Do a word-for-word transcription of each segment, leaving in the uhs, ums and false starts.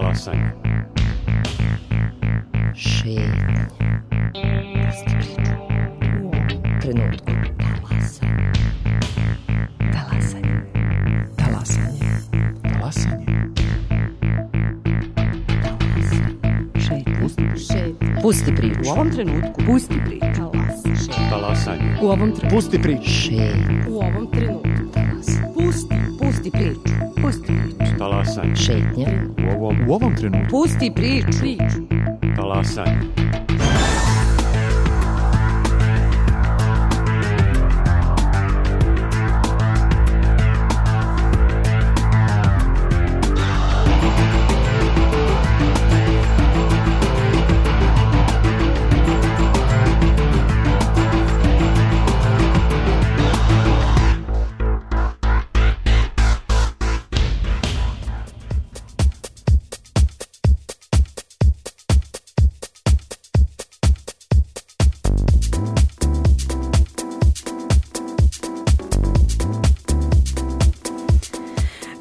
Talasanje. Šetnje. Pusti priču. U ovom trenutku. Talasanje. Talasanje. Talasanje. Talasanje. Šetnje. Šetnje. Pusti priču. U ovom trenutku. Pusti priču. Talasanje. U ovom trenutku. Pusti priču. Šetnje. U ovom trenutku. Pusti. Pusti priču. Pusti priču. Talasanje. Šetnje. U ovom, u ovom trenutku. Pusti priču. Priču. Talasanje.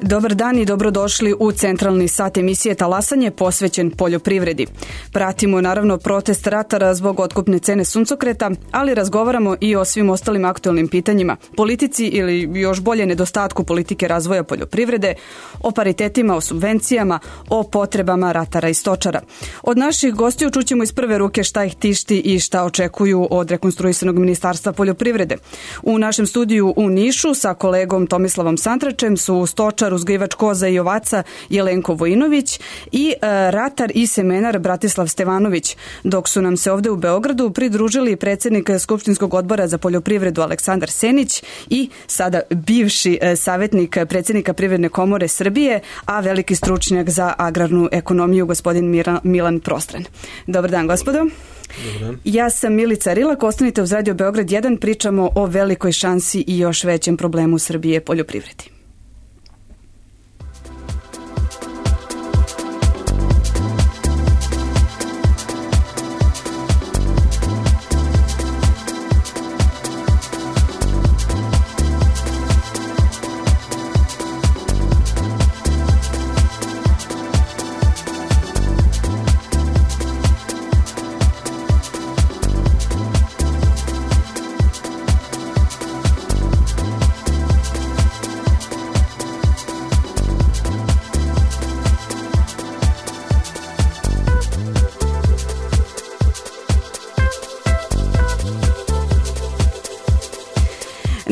Dobar dan i dobrodošli u centralni sat emisije Talasanje posvećen poljoprivredi. Pratimo naravno protest ratara zbog otkupne cene suncokreta, ali razgovaramo i o svim ostalim aktualnim pitanjima, politici ili još bolje nedostatku politike razvoja poljoprivrede, o paritetima, o subvencijama, o potrebama ratara i stočara. Od naših gostiju čućemo iz prve ruke šta ih tišti i šta očekuju od rekonstruisanog ministarstva poljoprivrede. U našem studiju u Nišu sa kolegom Tomislavom Santračem su stočar, uzgajivač koza i ovaca Jelenko Vojinović i e, ratar i semenar Bratislav Stevanović, dok su nam se ovde u Beogradu pridružili predsjednik Skupštinskog odbora za poljoprivredu Aleksandar Senić i sada bivši e, savjetnik predsjednika Privredne komore Srbije, a veliki stručnjak za agrarnu ekonomiju gospodin Mira, Milan Prostran. Dobar dan, gospodo. Ja sam Milica Rilak, ostanite uz Radio Beograd jedan, pričamo o velikoj šansi i još većem problemu Srbije poljoprivredi.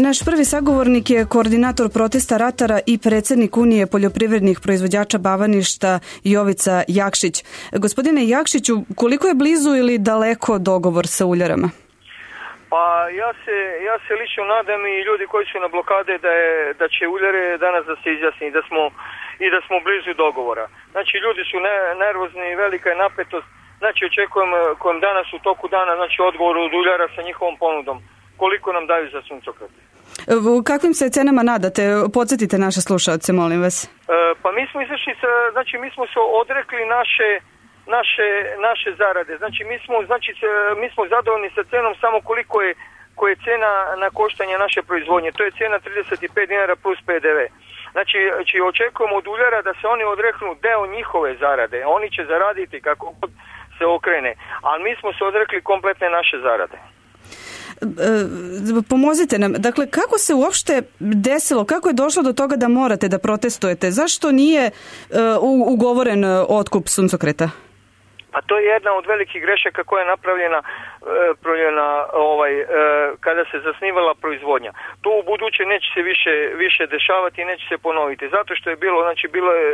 Naš prvi sagovornik je koordinator protesta ratara i predsjednik Unije poljoprivrednih proizvođača Bavaništa Jovica Jakšić. Gospodine Jakšiću, koliko je blizu ili daleko dogovor sa uljarama? Pa ja se, ja se lično nadam i ljudi koji su na blokade da, je, da će uljare danas da se izjasni da smo, i da smo blizu dogovora. Znači ljudi su ne, nervozni, velika je napetost. Znači očekujem kojem danas u toku dana znači odgovor od uljara sa njihovom ponudom. Koliko nam daju za suncokret? U kakvim se cenama nadate? Podsjetite naše slušalce, molim vas. E, pa mi smo izašli, znači mi smo se odrekli naše, naše, naše zarade. Znači mi smo, znači mi smo zadovoljni sa cenom samo koliko je, koja je cena na koštanje naše proizvodnje. To je cena trideset pet dinara plus P D V. Znači, znači očekujemo od uljara da se oni odreknu deo njihove zarade. Oni će zaraditi kako god se okrene. Ali mi smo se odrekli kompletne naše zarade. Pomozite nam, dakle kako se uopšte desilo, kako je došlo do toga da morate da protestujete, zašto nije uh, ugovoren otkup suncokreta? Pa to je jedna od velikih grešaka koja je napravljena, napravljena ovaj, kada se zasnivala proizvodnja. To u buduće neće se više, više dešavati i neće se ponoviti, zato što je bilo, znači bilo je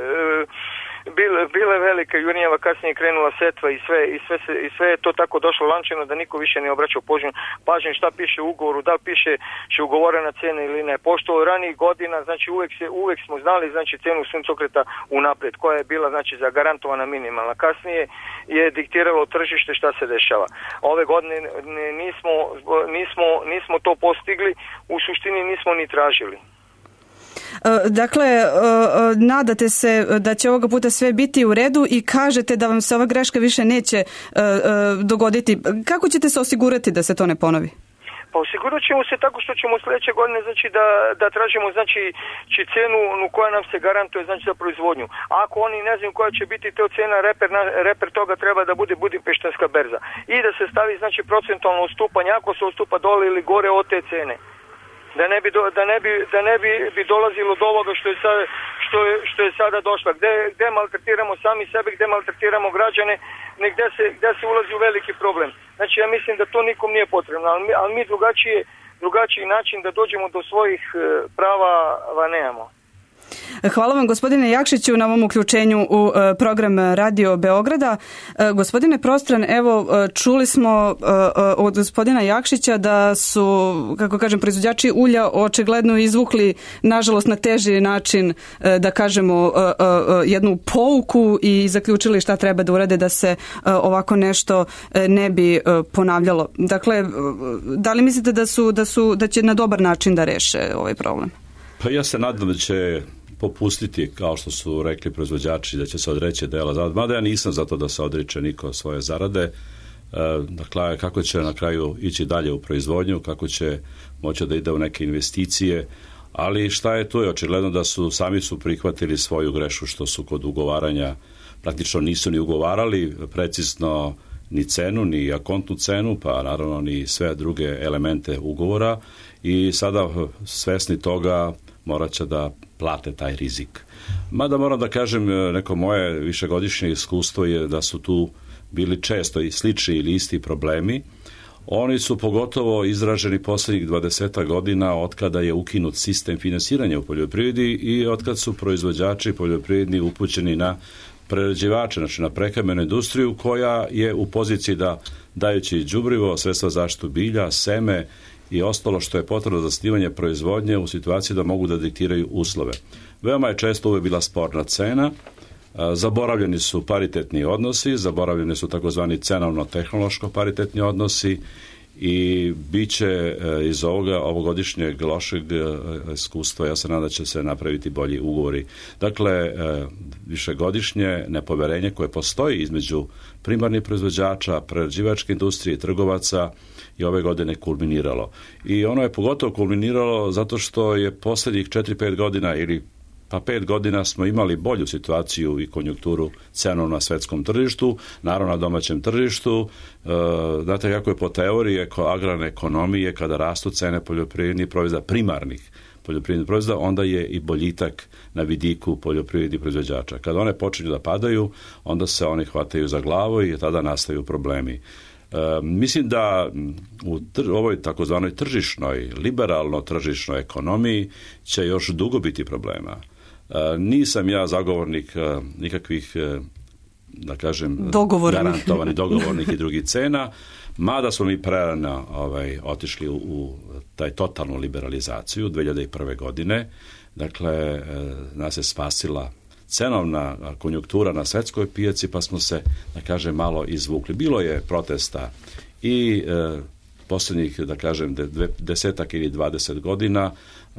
Bile, bile velike jurnjeva, kasnije krenula setva i sve, i sve, se, i sve je to tako došlo lančano da niko više ne obraćao pažnju, pažnju šta piše u ugovoru, da li piše će ugovorena cena ili ne. Pošto od ranijih godina, znači uvek, se, uvek smo znali znači cenu suncokreta unaprijed, koja je bila znači zagarantovana minimalna. Kasnije je diktiralo tržište šta se dešava. Ove godine nismo, nismo, nismo to postigli, u suštini nismo ni tražili. Dakle, nadate se da će ovoga puta sve biti u redu i kažete da vam se ova greška više neće dogoditi. Kako ćete se osigurati da se to ne ponovi? Pa osigurat ćemo se tako što ćemo sljedeće godine znači da, da tražimo znači cijenu koja nam se garantuje znači za proizvodnju. A ako oni ne znaju koja će biti to cijena, reper, reper toga treba da bude Budimpeštanska berza. I da se stavi znači procentualno ustupanje ako se ustupa dole ili gore od te cene. Da ne bi, do, da ne bi, da ne bi, bi dolazilo do ovoga što je, sad, što je, što je sada došla. Gde, gde maltretiramo sami sebe, gde maltretiramo građane, ne gde se, gde se ulazi u veliki problem. Znači ja mislim da to nikom nije potrebno, ali mi, ali mi drugačije, drugačiji način da dođemo do svojih prava nemamo. Hvala vam gospodine Jakšiću na ovom uključenju u program Radio Beograda. Gospodine Prostran, evo čuli smo od gospodina Jakšića da su, kako kažem, proizvođači ulja očigledno izvukli, nažalost na teži način, da kažemo, jednu pouku i zaključili šta treba da urade da se ovako nešto ne bi ponavljalo. Dakle, da li mislite da su, da su, da će na dobar način da reše ovaj problem? Pa ja se nadam da će popustiti, kao što su rekli proizvođači, da će se odreći dela zarade. Mada ja nisam za to da se odriče niko svoje zarade. Dakle, kako će na kraju ići dalje u proizvodnju, kako će moći da ide u neke investicije, ali šta je tu je očigledno da su sami su prihvatili svoju grešku što su kod ugovaranja praktično nisu ni ugovarali precizno ni cenu, ni akontnu cenu, pa naravno ni sve druge elemente ugovora i sada svesni toga morat će da plate taj rizik. Mada moram da kažem, neko moje višegodišnje iskustvo je da su tu bili često i slični ili isti problemi. Oni su pogotovo izraženi poslednjih dvadeset godina od kada je ukinut sistem finansiranja u poljoprivredi i od kad su proizvođači poljoprivredni upućeni na prerađivače, znači na prehrambenu industriju koja je u poziciji da dajući đubrivo, sredstva za zaštitu bilja, seme i ostalo što je potrebno za zasnivanje proizvodnje u situaciji da mogu da diktiraju uslove. Veoma je često uvek bila sporna cena, zaboravljeni su paritetni odnosi, zaboravljeni su takozvani cenovno-tehnološko paritetni odnosi i bit će iz ovoga ovogodišnjeg lošeg iskustva, ja se nadam da će se napraviti bolji ugovori. Dakle, višegodišnje nepoverenje koje postoji između primarnih proizvođača, prerađivačke industrije i trgovaca i ove godine kulminiralo. I ono je pogotovo kulminiralo zato što je poslednjih četiri pet godina ili pa pet godina smo imali bolju situaciju i konjunkturu cenom na svetskom tržištu, naravno na domaćem tržištu. E, znate kako je po teoriji agrarne ekonomije, kada rastu cene poljoprivrednih proizvoda, primarnih poljoprivrednih proizvoda, onda je i boljitak na vidiku poljoprivrednih proizvođača. Kada one počinju da padaju, onda se oni hvataju za glavu i tada nastaju problemi. E, mislim da u tr- ovoj takozvanoj tržišnoj, liberalno tržišnoj ekonomiji će još dugo biti problema. E, nisam ja zagovornik e, nikakvih, e, da kažem, garantovanih dogovornih i drugih cena, mada smo mi prerano ovaj, otišli u, u taj totalnu liberalizaciju dve hiljade prve. godine. Dakle, e, nas je spasila cenovna konjunktura na svetskoj pijaci, pa smo se, da kažem, malo izvukli. Bilo je protesta i e, posljednjih, da kažem, desetak ili dvadeset godina,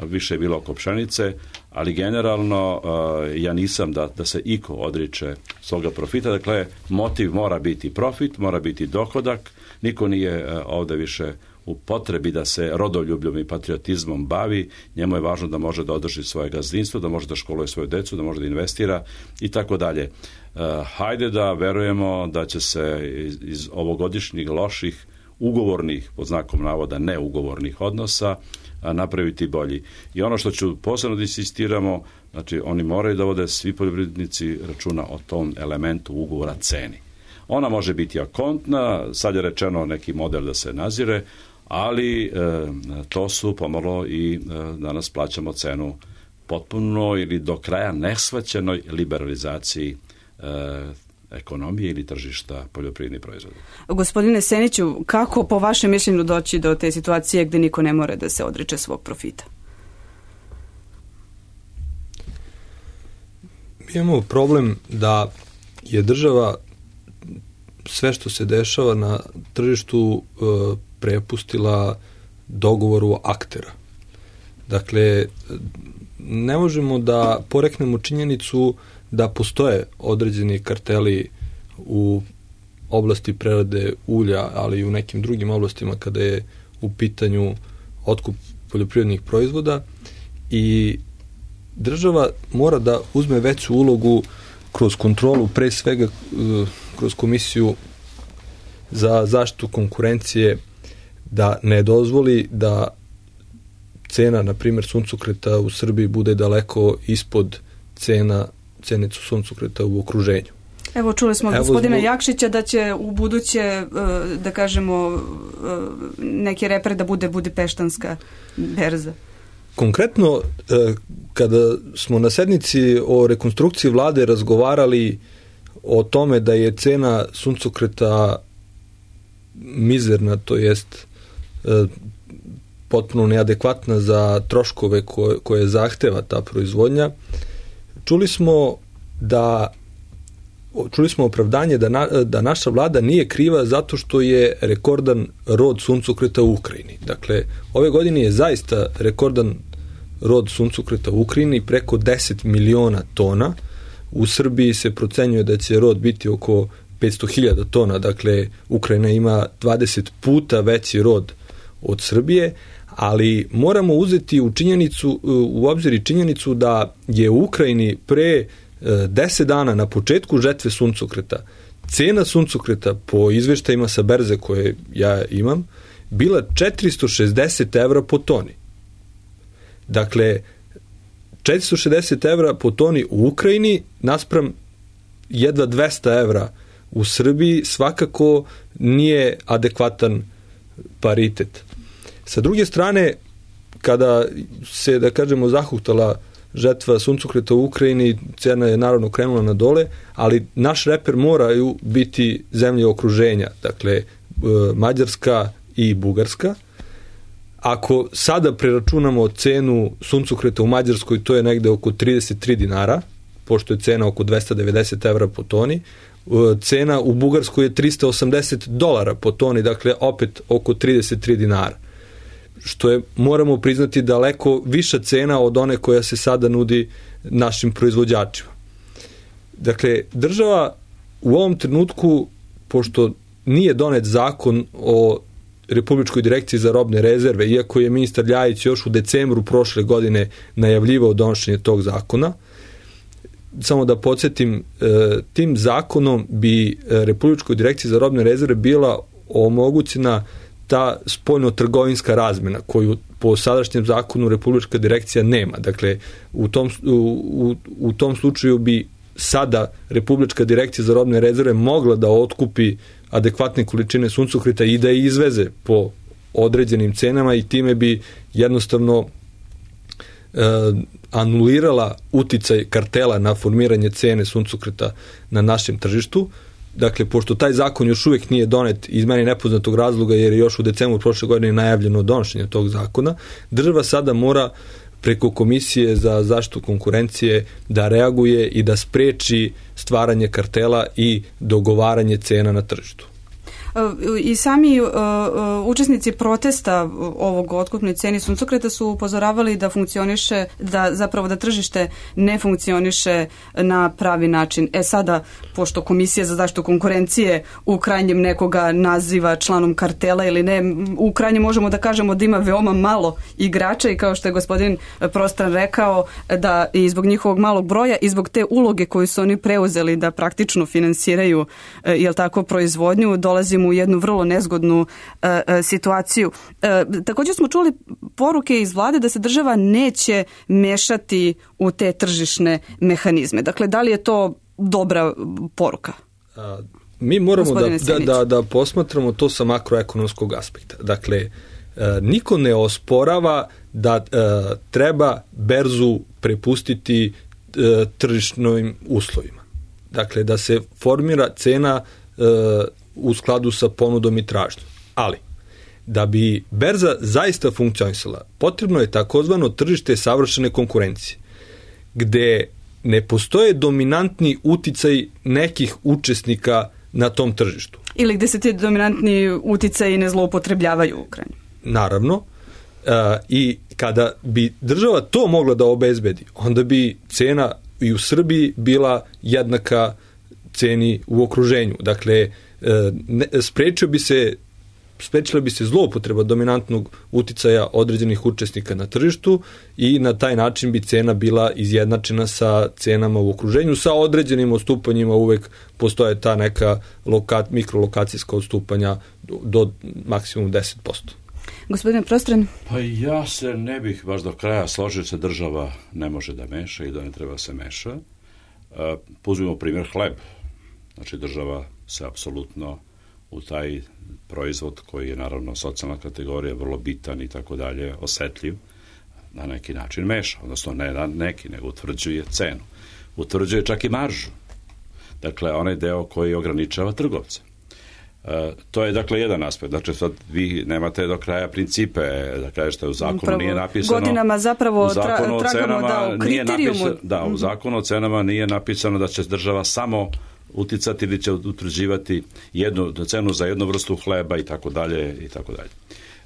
više je bilo oko pšenice, ali generalno e, ja nisam da, da se iko odriče svoga profita. Dakle, motiv mora biti profit, mora biti dohodak, niko nije e, ovde više u potrebi da se rodoljubljom i patriotizmom bavi, njemu je važno da može da održi svoje gazdinstvo, da može da školuje svoju decu, da može da investira i tako dalje. Hajde da verujemo da će se iz, iz ovogodišnjih loših ugovornih, pod znakom navoda neugovornih odnosa, napraviti bolji. I ono što ću posebno da insistiramo, znači oni moraju da vode svi poljoprivrednici računa o tom elementu ugovora ceni. Ona može biti akontna, sad je rečeno neki model da se nazire, ali e, to su pomalo i e, danas plaćamo cenu potpuno ili do kraja neshvaćenoj liberalizaciji e, ekonomije ili tržišta poljoprivrednih proizvoda. Gospodine Seniću, kako po vašem mišljenju doći do te situacije gde niko ne mora da se odriče svog profita? Mi imamo problem da je država sve što se dešava na tržištu e, prepustila dogovoru aktera. Dakle, ne možemo da poreknemo činjenicu da postoje određeni karteli u oblasti prerade ulja, ali i u nekim drugim oblastima kada je u pitanju otkup poljoprivrednih proizvoda i država mora da uzme veću ulogu kroz kontrolu, pre svega kroz Komisiju za zaštitu konkurencije, da ne dozvoli da cena, na primjer, suncokreta u Srbiji bude daleko ispod cena cenicu suncokreta u okruženju. Evo, čuli smo od Evo gospodina zbog... Jakšića da će u buduće, da kažemo, neki reper da bude Budipeštanska berza. Konkretno, kada smo na sednici o rekonstrukciji vlade razgovarali o tome da je cena suncokreta mizerna, to jest potpuno neadekvatna za troškove koje, koje zahteva ta proizvodnja, čuli smo da čuli smo opravdanje da, na, da naša vlada nije kriva zato što je rekordan rod suncokreta u Ukrajini. Dakle, ove godine je zaista rekordan rod suncokreta u Ukrajini, preko deset miliona tona. U Srbiji se procenjuje da će rod biti oko petsto hiljada tona, dakle Ukrajina ima dvadeset puta veći rod od Srbije, ali moramo uzeti u činjenicu, u obzir i činjenicu da je u Ukrajini pre deset dana na početku žetve suncokreta cena suncokreta po izveštajima sa berze koje ja imam bila četiristo šezdeset evra po toni. Dakle, četiristo šezdeset evra po toni u Ukrajini naspram jedva dvesta evra u Srbiji svakako nije adekvatan paritet. Sa druge strane, kada se, da kažemo, zahuktala žetva suncokreta u Ukrajini, cena je naravno krenula na dole, ali naš reper moraju biti zemlje okruženja, dakle Mađarska i Bugarska. Ako sada preračunamo cenu suncokreta u Mađarskoj, to je negde oko trideset tri dinara, pošto je cena oko dvesta devedeset evra po toni. Cena u Bugarskoj je trista osamdeset dolara po toni, dakle opet oko trideset tri dinara. Što je, moramo priznati, daleko viša cena od one koja se sada nudi našim proizvođačima. Dakle, država u ovom trenutku, pošto nije donet zakon o Republičkoj direkciji za robne rezerve, iako je ministar Ljajić još u decembru prošle godine najavljivao donošenje tog zakona, samo da podsjetim, tim zakonom bi Republičkoj direkciji za robne rezerve bila omogućena ta spoljno-trgovinska razmena koju po sadašnjem zakonu Republička direkcija nema. Dakle, u tom, u, u tom slučaju bi sada Republička direkcija za robne rezerve mogla da otkupi adekvatne količine suncokreta i da je izveze po određenim cenama i time bi jednostavno e, anulirala uticaj kartela na formiranje cene suncokreta na našem tržištu. Dakle, pošto taj zakon još uvijek nije donet iz meni nepoznatog razloga, jer je još u decembru prošle godine najavljeno donošenje tog zakona, država sada mora preko Komisije za zaštitu konkurencije da reaguje i da spreči stvaranje kartela i dogovaranje cena na tržištu. I sami uh, učesnici protesta ovog otkupne ceni suncokreta su upozoravali da funkcioniše, da zapravo da tržište ne funkcioniše na pravi način. E sada, pošto Komisija za zaštitu konkurencije u krajnjem nekoga naziva članom kartela ili ne, u krajnjem možemo da kažemo da ima veoma malo igrača i kao što je gospodin Prostran rekao, da i zbog njihovog malog broja i zbog te uloge koju su oni preuzeli da praktično finansiraju, jel tako, proizvodnju, dolazimo u jednu vrlo nezgodnu uh, situaciju. Uh, također smo čuli poruke iz vlade da se država neće mešati u te tržišne mehanizme. Dakle, da li je to dobra poruka? A, mi moramo da, da, da, da posmatramo to sa makroekonomskog aspekta. Dakle, uh, niko ne osporava da uh, treba berzu prepustiti uh, tržišnim uslovima. Dakle, da se formira cena uh, u skladu sa ponudom i tražnjom. Ali, da bi berza zaista funkcionisala, potrebno je takozvano tržište savršene konkurencije, gde ne postoje dominantni uticaj nekih učesnika na tom tržištu. Ili gde se ti dominantni uticaji ne zloupotrebljavaju u Ukrajini. Naravno. Uh, I kada bi država to mogla da obezbedi, onda bi cena i u Srbiji bila jednaka ceni u okruženju. Dakle, ne, sprečio bi se sprečila bi se zloupotreba dominantnog uticaja određenih učesnika na tržištu i na taj način bi cena bila izjednačena sa cenama u okruženju. Sa određenim odstupanjima uvek postoje ta neka loka, mikrolokacijska odstupanja do, do maksimum deset posto. Gospodine Prostran? Pa ja se ne bih baš do kraja složio se, država ne može da meša i da ne treba se meša. Uzmimo primjer hleb. Znači država se apsolutno u taj proizvod koji je naravno socijalna kategorija, vrlo bitan i tako dalje, osetljiv, na neki način meša, odnosno ne na neki, nego utvrđuje cenu. Utvrđuje čak i maržu. Dakle, onaj deo koji ograničava trgovce. E, to je dakle jedan aspekt. Znači sad vi nemate do kraja principe da kažete u zakonu Pravo, nije napisano godinama zapravo u zakonu tra, tragamo da u kriterijumu napisa, da u zakonu o cenama nije napisano da će država samo uticati ili će utvrđivati jednu cenu za jednu vrstu hleba i tako dalje i tako dalje.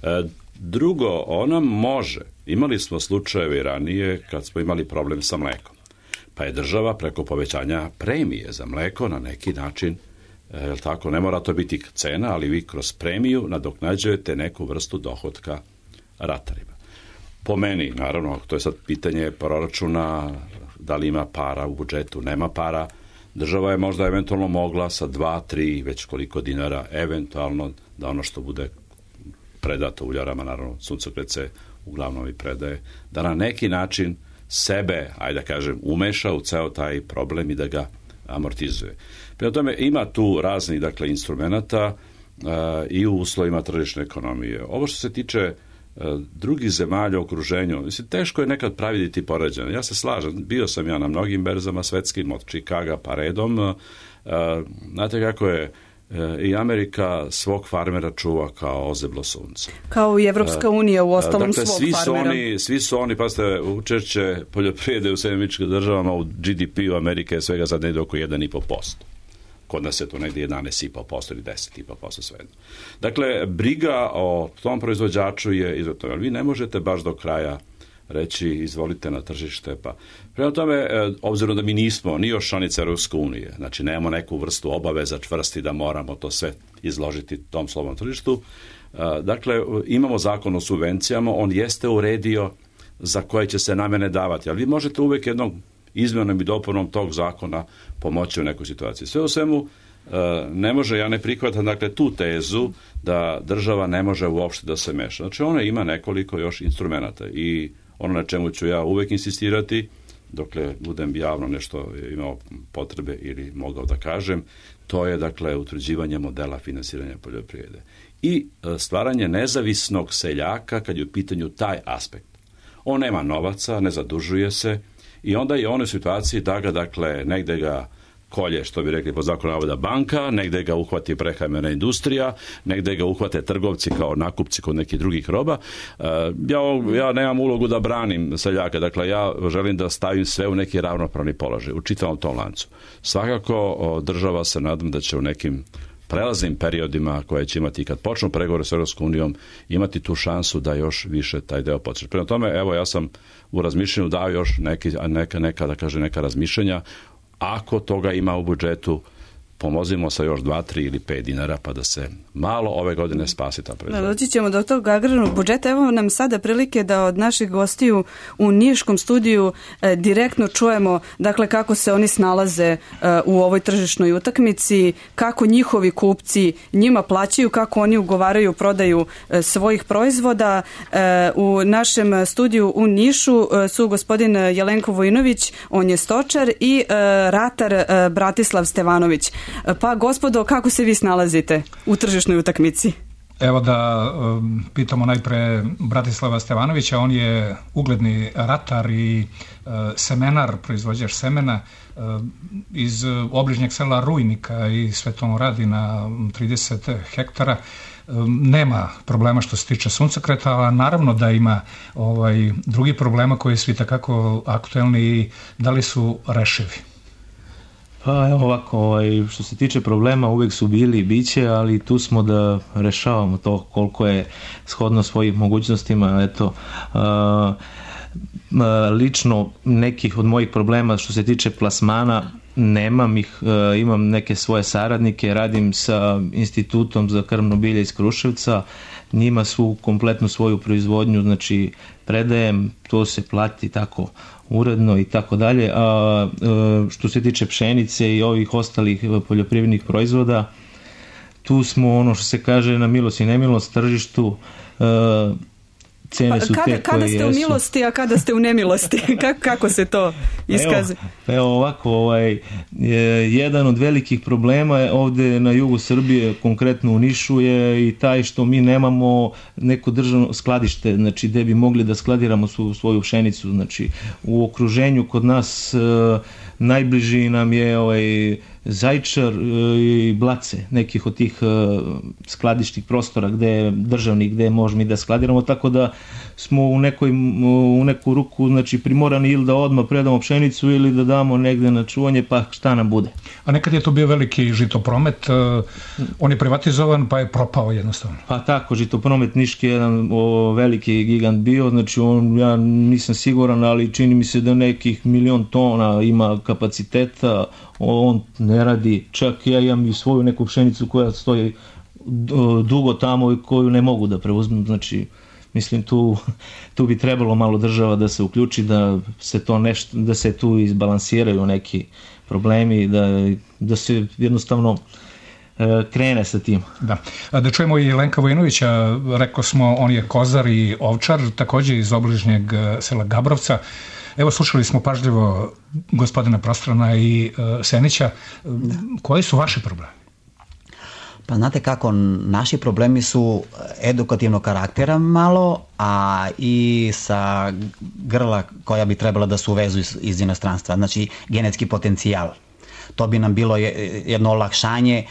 E, drugo, ona može, imali smo slučajeve ranije kad smo imali problem sa mlekom, pa je država preko povećanja premije za mleko na neki način, je li tako, ne mora to biti cena, ali vi kroz premiju nadoknađujete neku vrstu dohotka ratarima. Po meni, naravno, to je sad pitanje proračuna, da li ima para u budžetu, nema para. Država je možda eventualno mogla sa dva, tri, već koliko dinara, eventualno da ono što bude predato uljarama, naravno suncokret se uglavnom i predaje, da na neki način sebe, ajde da kažem, umeša u ceo taj problem i da ga amortizuje. Prema tome, ima tu raznih, dakle, instrumenta uh, i u uslovima tržišne ekonomije. Ovo što se tiče uh, drugih zemalja u okruženju, mislim, teško je nekad praviditi poređenje. Ja se slažem, bio sam ja na mnogim berzama svetskim, od Čikaga pa redom. Uh, znate kako je i Amerika svog farmera čuva kao ozeblo sunce. Kao i Evropska unija u ostalom dakle, svog svi su farmera. Oni, svi su oni, pa ste učešće poljoprivrede u Sjedinjenim Američkim Državama u G D P-u Amerike je svega sad negdje oko jedan i po posto. Kod nas je to negdje jedanaest i po posto ili deset i po posto svejedno. Dakle, briga o tom proizvođaču je izuzetno. Vi ne možete baš do kraja reći izvolite na tržište. Pa. Prema tome, obzirom da mi nismo ni još članica Europske unije, znači nemamo neku vrstu obaveza čvrsti da moramo to sve izložiti tom slobodnom tržištu, dakle, imamo zakon o subvencijama, on jeste uredio za koje će se namene davati, ali vi možete uvijek jednom izmjenom i dopunom tog zakona pomoći u nekoj situaciji. Sve u svemu, ne može, ja ne prihvatam dakle tu tezu da država ne može uopšte da se meša. Znači ona ima nekoliko još instrumenata i ono na čemu ću ja uvek insistirati, dokle budem javno nešto imao potrebe ili mogao da kažem, to je dakle utvrđivanje modela finansiranja poljoprivrede i stvaranje nezavisnog seljaka kad je u pitanju taj aspekt. On nema novaca, ne zadužuje se i onda je on u situaciji da ga dakle negde ga kolje, što bi rekli po zakonu navoda banka, negde ga uhvati prehrambena industrija, negde ga uhvate trgovci kao nakupci kod nekih drugih roba. Ja, ja nemam ulogu da branim seljaka, dakle ja želim da stavim sve u neki ravnopravni položaj u čitavom tom lancu. Svakako država se nadam da će u nekim prelaznim periodima koje će imati kad počnu pregovore s Europskom unijom imati tu šansu da još više taj deo podsjeća. Prema tome, evo ja sam u razmišljanju dao još neki, neka, neka, da kaže, neka razmišljanja. Ako toga ima u budžetu, pomozimo sa još dva, tri ili pet dinara pa da se malo ove godine spasi ta proizvodnja. Doći ćemo do tog agrarnog budžeta. Evo nam sada prilike da od naših gostiju u Niškom studiju e, direktno čujemo dakle kako se oni snalaze e, u ovoj tržišnoj utakmici, kako njihovi kupci njima plaćaju, kako oni ugovaraju prodaju e, svojih proizvoda. E, u našem studiju u Nišu e, su gospodin Jelenko Vojinović, on je stočar, i e, ratar e, Bratislav Stevanović. Pa gospodo, kako se vi snalazite u tržišnoj utakmici? Evo da um, pitamo najpre Bratislava Stevanovića, on je ugledni ratar i uh, semenar, proizvođač semena uh, iz obližnjeg sela Rujnika i sve to radi na trideset hektara. Um, nema problema što se tiče suncokreta, a naravno da ima ovaj, drugi problema koji su itekako aktuelni i da li su rešivi. Pa evo ovako, ovaj, što se tiče problema uvijek su bili i biće, ali tu smo da rešavamo to koliko je shodno svojim mogućnostima. Eto, a, a, lično nekih od mojih problema što se tiče plasmana nemam ih, imam neke svoje saradnike, radim sa Institutom za krmno bilje iz Kruševca, njima svu kompletnu svoju proizvodnju, znači predajem, to se plati tako uredno i tako dalje. A što se tiče pšenice i ovih ostalih poljoprivrednih proizvoda, tu smo, ono što se kaže, na milost i nemilost tržištu. Cene su kada, te koje kada ste jesu. u milosti, a kada ste u nemilosti? kako, kako se to iskazuje? Evo, evo ovako, ovaj, jedan od velikih problema je ovde na jugu Srbije, konkretno u Nišu, je i taj što mi nemamo neko državno skladište, znači gde bi mogli da skladiramo su, svoju pšenicu. Znači u okruženju kod nas e, najbliži nam je ovaj Zajčar i Blace, nekih od tih skladišnih prostora gde je državni, gde možemo i da skladiramo, tako da smo u, nekoj, u neku ruku znači, primorani ili da odmah predamo pšenicu ili da damo negde na čuvanje, pa šta nam bude. A nekad je to bio veliki žitopromet, on je privatizovan pa je propao jednostavno. Pa tako, žitopromet Niški je jedan o, veliki gigant bio, znači on, ja nisam siguran, ali čini mi se da nekih milion tona ima kapaciteta, on ne radi, čak ja imam i svoju neku pšenicu koja stoji dugo tamo i koju ne mogu da preuzmem, znači mislim tu, tu bi trebalo malo država da se uključi, da se to nešto, da se tu izbalansiraju neki problemi, da, da se jednostavno e, krene sa tim. Da. Da čujemo i Lenka Vojinovića, rekao smo on je kozar i ovčar, takođe iz obližnjeg sela Gabrovca. Evo, slušali smo pažljivo gospodina Prostrana i uh, Senića. Koji su vaši problemi? Pa znate kako, naši problemi su edukativnog karaktera malo, a i sa grla koja bi trebala da se uvezu iz, iz inostranstva, znači genetski potencijal. To bi nam bilo jedno olakšanje,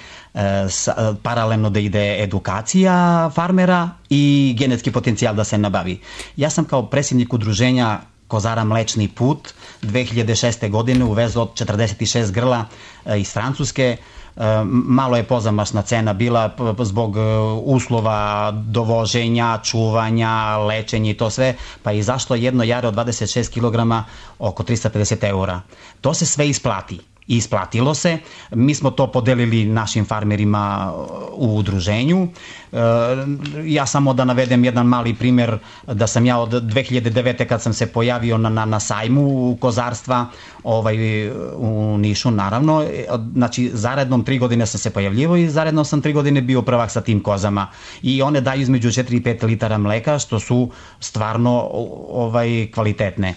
sa, paralelno da ide edukacija farmera i genetski potencijal da se nabavi. Ja sam kao predsjednik udruženja Kozara Mlečni put dve hiljade šeste. godine uvezao četrdeset šest grla iz Francuske. Malo je pozamašna cena bila zbog uslova dovoženja, čuvanja, lečenja i to sve, pa je izašlo jedno jare od dvadeset šest kilograma oko trista pedeset eura. To se sve isplati. Isplatilo se. Mi smo to podelili našim farmerima u udruženju. Ja samo da navedem jedan mali primer, da sam ja od dve hiljade devete. kad sam se pojavio na, na, na sajmu kozarstva ovaj, u Nišu, naravno, znači zarednom tri godine sam se pojavljivo i zaredno sam tri godine bio prvak sa tim kozama. I one daju između četiri i pet litara mleka, što su stvarno ovaj, kvalitetne.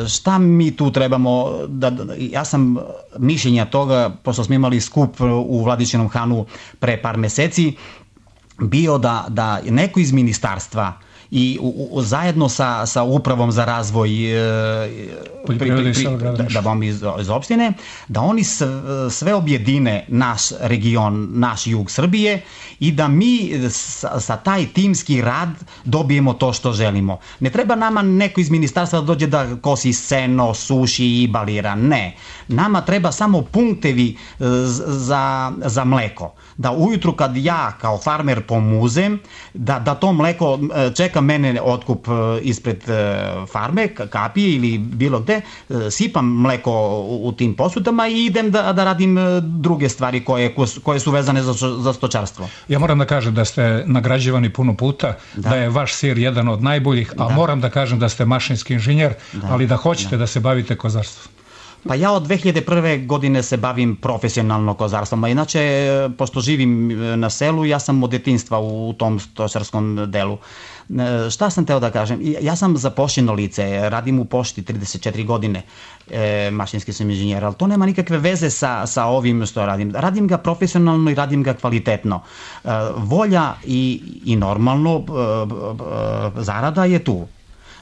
Šta mi tu trebamo, da, ja sam mišljenja toga, pošto smo imali skup u Vladičinom Hanu pre par meseci, bio da, da neko iz ministarstva i u, u, zajedno sa, sa upravom za razvoj e, pri, pri, pri, da, da vam iz, iz opštine, da oni sve objedine naš region, naš jug Srbije i da mi sa, sa taj timski rad dobijemo to što želimo. Ne treba nama neko iz ministarstva da dođe da kosi seno, suši i balira, ne. Nama treba samo punktevi za, za mleko. Da ujutru kad ja kao farmer pomuzem, da, da to mleko čeka mene otkup ispred farme, kapije ili bilo gde, sipam mleko u tim posudama i idem da, da radim druge stvari koje, koje su vezane za, za stočarstvo. Ja moram da kažem da ste nagrađivani puno puta, da, da je vaš sir jedan od najboljih, a da. moram da kažem da ste mašinski inženjer, da. ali da hoćete da, da se bavite kozarstvom. Pa ja od dve hiljade prve. godine se bavim profesionalno kozarstvom, a inače, pošto živim na selu, ja sam od detinjstva u tom stočarskom delu. Šta sam teo da kažem? Ja sam zaposleno lice, radim u pošti trideset četiri godine, e, mašinski sam inženjer, ali to nema nikakve veze sa, sa ovim što radim. Radim ga profesionalno i radim ga kvalitetno. E, volja i, i normalno e, e, zarada je tu.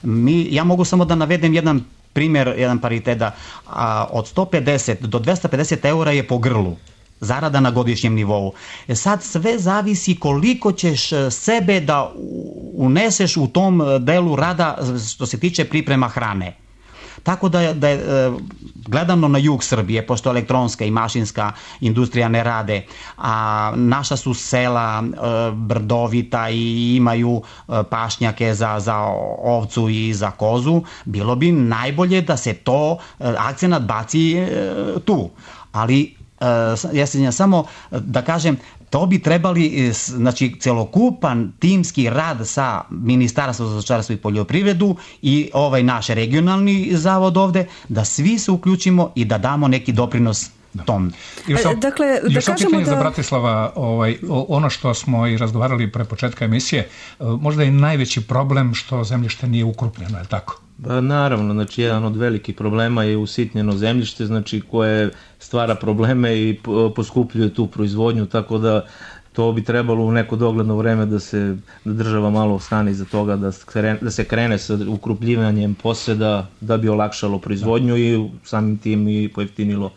Mi, ja mogu samo da navedem jedan primjer, jedan paritet, da a, od sto pedeset do dvesta pedeset eura je po grlu zarada na godišnjem nivou. E sad sve zavisi koliko ćeš sebe da uneseš u tom delu rada što se tiče priprema hrane. Tako da, da je e, gledano na jug Srbije, pošto elektronska i mašinska industrija ne rade, a naša su sela e, brdovita i imaju e, pašnjake za, za ovcu i za kozu, bilo bi najbolje da se to e, akcenat baci e, tu. Ali e, ja se samo da kažem, to bi trebali, znači, celokupan timski rad sa Ministarstvom za stočarstvo i poljoprivredu i ovaj naš regionalni zavod ovde, da svi se uključimo i da damo neki doprinos tom. Još sam, dakle, još da kažemo da... za Bratislava, ovaj, ono što smo i razgovarali pre početka emisije, možda je najveći problem što zemljište nije ukrupnjeno, je li tako? Ba, naravno, znači jedan od velikih problema je usitnjeno zemljište, znači koje stvara probleme i poskupljuje tu proizvodnju, tako da to bi trebalo u neko dogledno vreme da se da država malo stane iza toga, da se krene, da se krene sa ukrupljivanjem poseda da bi olakšalo proizvodnju i samim tim i pojeftinilo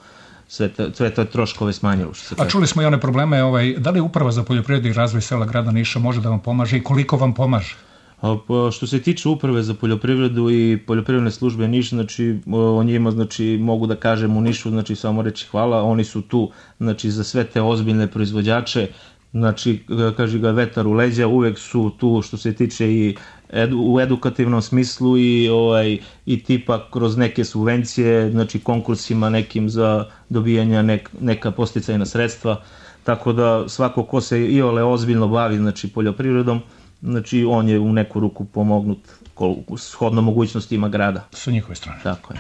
sve te, sve te troškove smanjilo. Što se A čuli smo i one probleme, ovaj, da li Uprava za poljoprivredu i razvoj sela grada Niša može da vam pomaže i koliko vam pomaže? A, što se tiče Uprave za poljoprivredu i poljoprivredne službe Niš, znači o njima, znači mogu da kažem u Nišu, znači samo reći hvala, oni su tu, znači za sve te ozbiljne proizvođače, znači kaže ga vetar u leđa, uvek su tu što se tiče i edu, u edukativnom smislu i ovaj i tipa kroz neke subvencije, znači konkursima nekim za dobijanje nek, neka podsticajna sredstva, tako da svako ko se i ole ozbiljno bavi, znači poljoprivredom, znači on je u neku ruku pomognut shodno mogućnostima grada. Sa njihove strane. Tako je.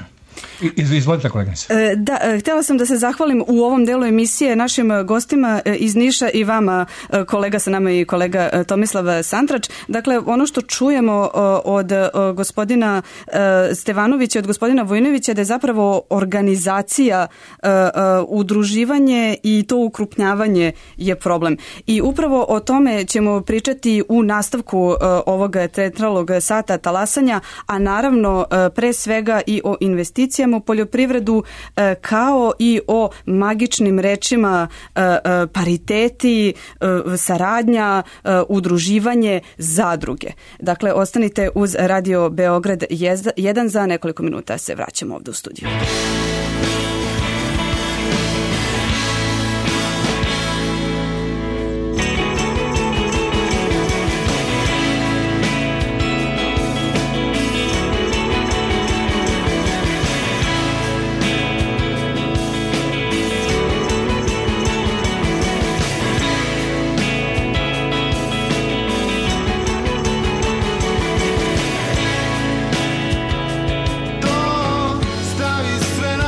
Izvolite, koleginice. Da, htjela sam da se zahvalim u ovom delu emisije našim gostima iz Niša i vama, kolega sa nama i kolega Tomislav Santrač. Dakle, ono što čujemo od gospodina Stevanovića i od gospodina Vojinovića da je zapravo organizacija, udruživanje i to ukrupnjavanje je problem. I upravo o tome ćemo pričati u nastavku ovog centralnog sata talasanja, a naravno pre svega i o investicijama u poljoprivredu kao i o magičnim rečima pariteti, saradnja, udruživanje, zadruge. Dakle, ostanite uz Radio Beograd jedan, za nekoliko minuta se vraćamo ovdje u studiju. Stavi sve na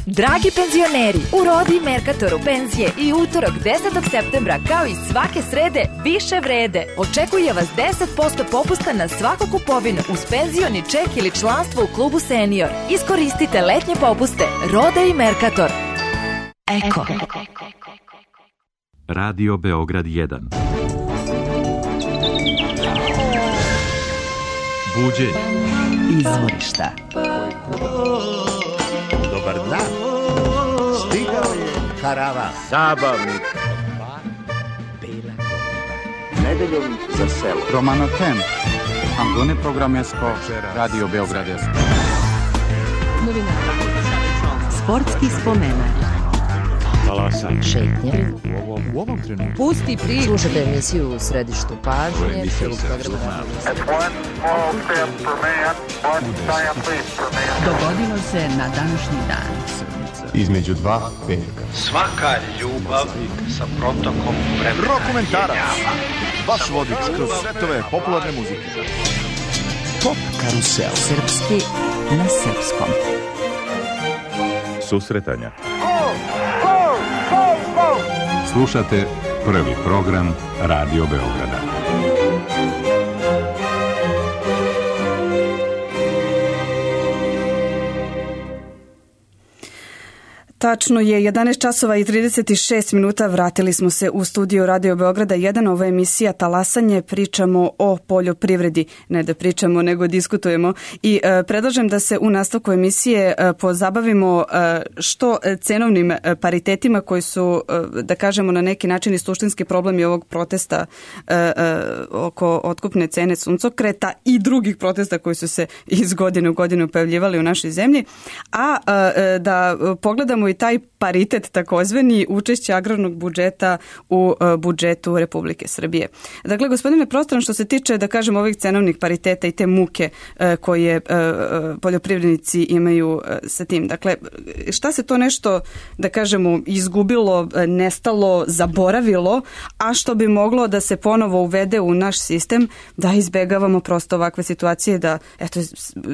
Dragi penzioneri, u Rodi Merkatoru penzije i utorak desetog septembra kao i svake srede više vrede. Očekuje vas deset posto popusta na svaku kupovinu uz penzioni ček ili članstvo u klubu Senior. Iskoristite letnje popuste Rode i Merkator. Eko. Radio Beograd jedan. Buđenje. Izvorišta. Dobar dan. Stigao je karavan. Zabavnik. Nedeljom za selo. Romano Tem. Angone programesko. Radio Beograd jedan. Sportski spomenak. Talasanje. Šetnje. U ovom, u ovom trenutku. Pusti priču. Slušajte emisiju u središtu pažnje. Dogodilo se na današnji dan. Između dva petka. Svaka ljubav sa protokom vremena. Rokomentarac. Vaš vodič kroz svetove popularne muzike. Pop karusel. Srpski na srpskom. Susretanja. Slušate prvi program Radio Beograda. Tačno je jedanaest časova i trideset šest minuta, vratili smo se u studio Radio Beograda jedan, ovo je emisija Talasanje, pričamo o poljoprivredi, ne da pričamo nego diskutujemo i e, predlažem da se u nastavku emisije e, pozabavimo e, što cenovnim paritetima koji su, e, da kažemo na neki način i suštinski problemi ovog protesta e, e, oko otkupne cene suncokreta i drugih protesta koji su se iz godine u godinu pojavljivali u našoj zemlji, a e, da pogledamo i taj paritet takozvani učešće agrarnog budžeta u uh, budžetu Republike Srbije. Dakle, gospodine Prostran, što se tiče, da kažem, ovih cenovnih pariteta i te muke uh, koje uh, poljoprivrednici imaju uh, sa tim. Dakle, šta se to nešto, da kažemo, izgubilo, nestalo, zaboravilo, a što bi moglo da se ponovo uvede u naš sistem, da izbegavamo prosto ovakve situacije, da, eto,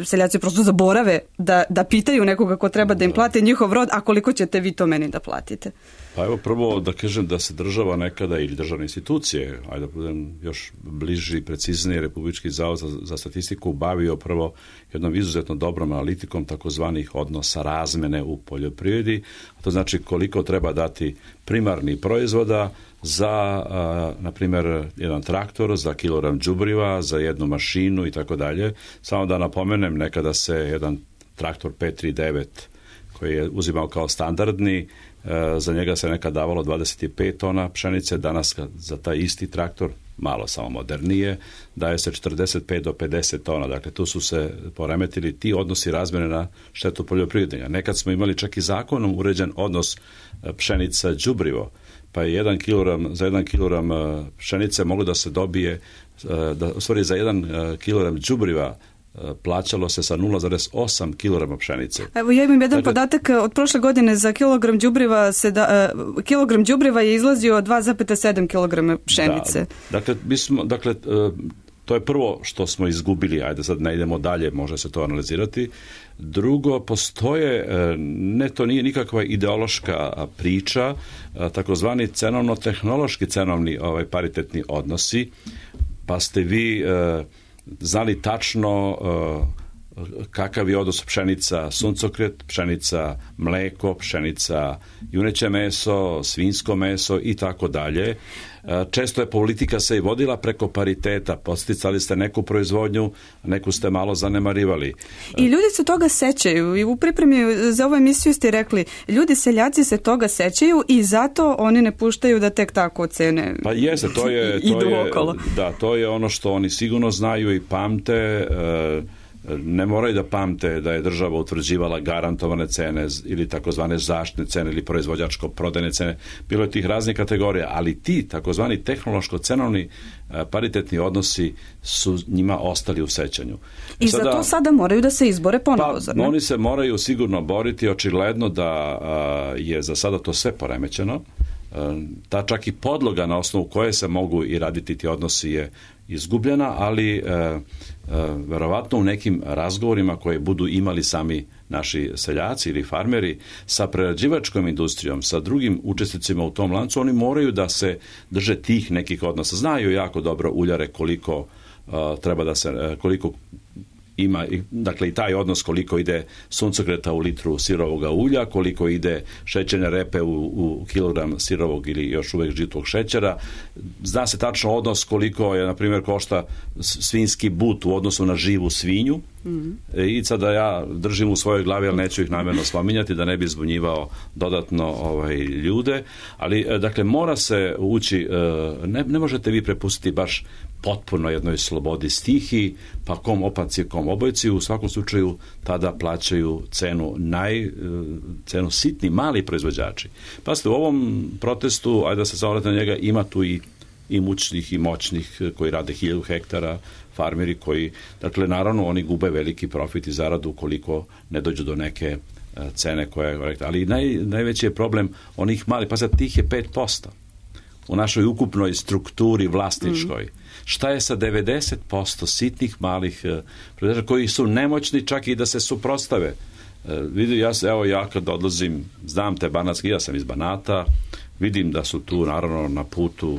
seljaci prosto zaborave da, da pitaju nekoga ko treba da im plate njihov rod, a koliko ćete vi to meni da platite? Pa evo prvo da kažem da se država nekada ili državne institucije, ajde da budem još bliži i precizniji, Republički zavod za, za statistiku bavio prvo jednom izuzetno dobrom analitikom takozvanih odnosa razmene u poljoprivredi, a to znači koliko treba dati primarnih proizvoda za, a, na primjer, jedan traktor, za kilogram đubriva, za jednu mašinu i tako dalje. Samo da napomenem, nekada se jedan traktor pet tri devet koji je uzimao kao standardni, za njega se nekad davalo dvadeset pet tona pšenice, danas za taj isti traktor, malo samo modernije, daje se četrdeset pet do pedeset tona. Dakle, tu su se poremetili ti odnosi razmjene na štetu poljoprivrednika. Nekad smo imali čak i zakonom uređen odnos pšenica đubrivo, pa je jedan kilogram, za jedan kilogram pšenice moglo da se dobije, da, u stvari za jedan kilogram đubriva plaćalo se sa nula zarez osam kilograma pšenice. Evo ja imam jedan dakle, podatak od prošle godine za kilogram đubriva se da, uh, kilogram đubriva je izlazio dva zarez sedam kilograma pšenice. Da, dakle, mi smo, dakle uh, to je prvo što smo izgubili, ajde sad ne idemo dalje, može se to analizirati. Drugo, postoje, ne, to nije nikakva ideološka priča, takozvani cenovno-tehnološki cenovni ovaj, paritetni odnosi, pa ste vi uh, znali tačno uh, kakav je odnos pšenica suncokret, pšenica mleko, pšenica juneće meso, svinjsko meso i tako dalje. Često je politika se i vodila preko pariteta, podsticali ste neku proizvodnju, neku ste malo zanemarivali. I ljudi se toga sećaju i u pripremi za ovu emisiju ste rekli, ljudi seljaci se toga sećaju i zato oni ne puštaju da tek tako ocene. Pa jeste, to je, to je, da, to je ono što oni sigurno znaju i pamte. Ne moraju da pamte da je država utvrđivala garantovane cene ili takozvane zaštitne cene ili proizvođačko-prodajne cene. Bilo je tih raznih kategorija, ali ti takozvani tehnološko-cenovni paritetni odnosi su njima ostali u sećanju. I sada, za to sada moraju da se izbore ponovo, pa, zar ne? Oni se moraju sigurno boriti, očigledno da a, je za sada to sve poremećeno. Ta čak i podloga na osnovu koje se mogu i raditi ti odnosi je izgubljena, ali e, e, verovatno u nekim razgovorima koje budu imali sami naši seljaci ili farmeri sa prerađivačkom industrijom, sa drugim učesnicima u tom lancu, oni moraju da se drže tih nekih odnosa. Znaju jako dobro uljare koliko uh, treba da se, uh, koliko ima, dakle i taj odnos koliko ide suncokreta u litru sirovog ulja, koliko ide šećerne repe u, u kilogram sirovog ili još uvek žitog šećera. Zna se tačno odnos koliko je, na primjer, košta svinjski but u odnosu na živu svinju. Mm-hmm. I sada ja držim u svojoj glavi, ali neću ih namjerno spominjati da ne bi zbunjivao dodatno ovaj, ljude, ali dakle mora se ući, ne, ne možete vi prepustiti baš potpuno jednoj slobodi stihiji, pa kom opanci, kom obojci, u svakom slučaju tada plaćaju cenu naj, cenu sitni, mali proizvođači. Pazite, u ovom protestu, ajde da se samo na njega, ima tu i i mučnih i moćnih koji rade hiljadu hektara, farmeri koji, dakle, naravno, oni gube veliki profit i zaradu ukoliko ne dođu do neke cene koja je korektna. Ali naj, najveći je problem onih malih, pa sad tih je pet posto u našoj ukupnoj strukturi vlasničkoj. Mm. Šta je sa devedeset posto sitnih malih proizvođača koji su nemoćni čak i da se suprotstave? Vidim, ja, evo ja kad odlazim, znam te banatski, ja sam iz Banata, vidim da su tu naravno na putu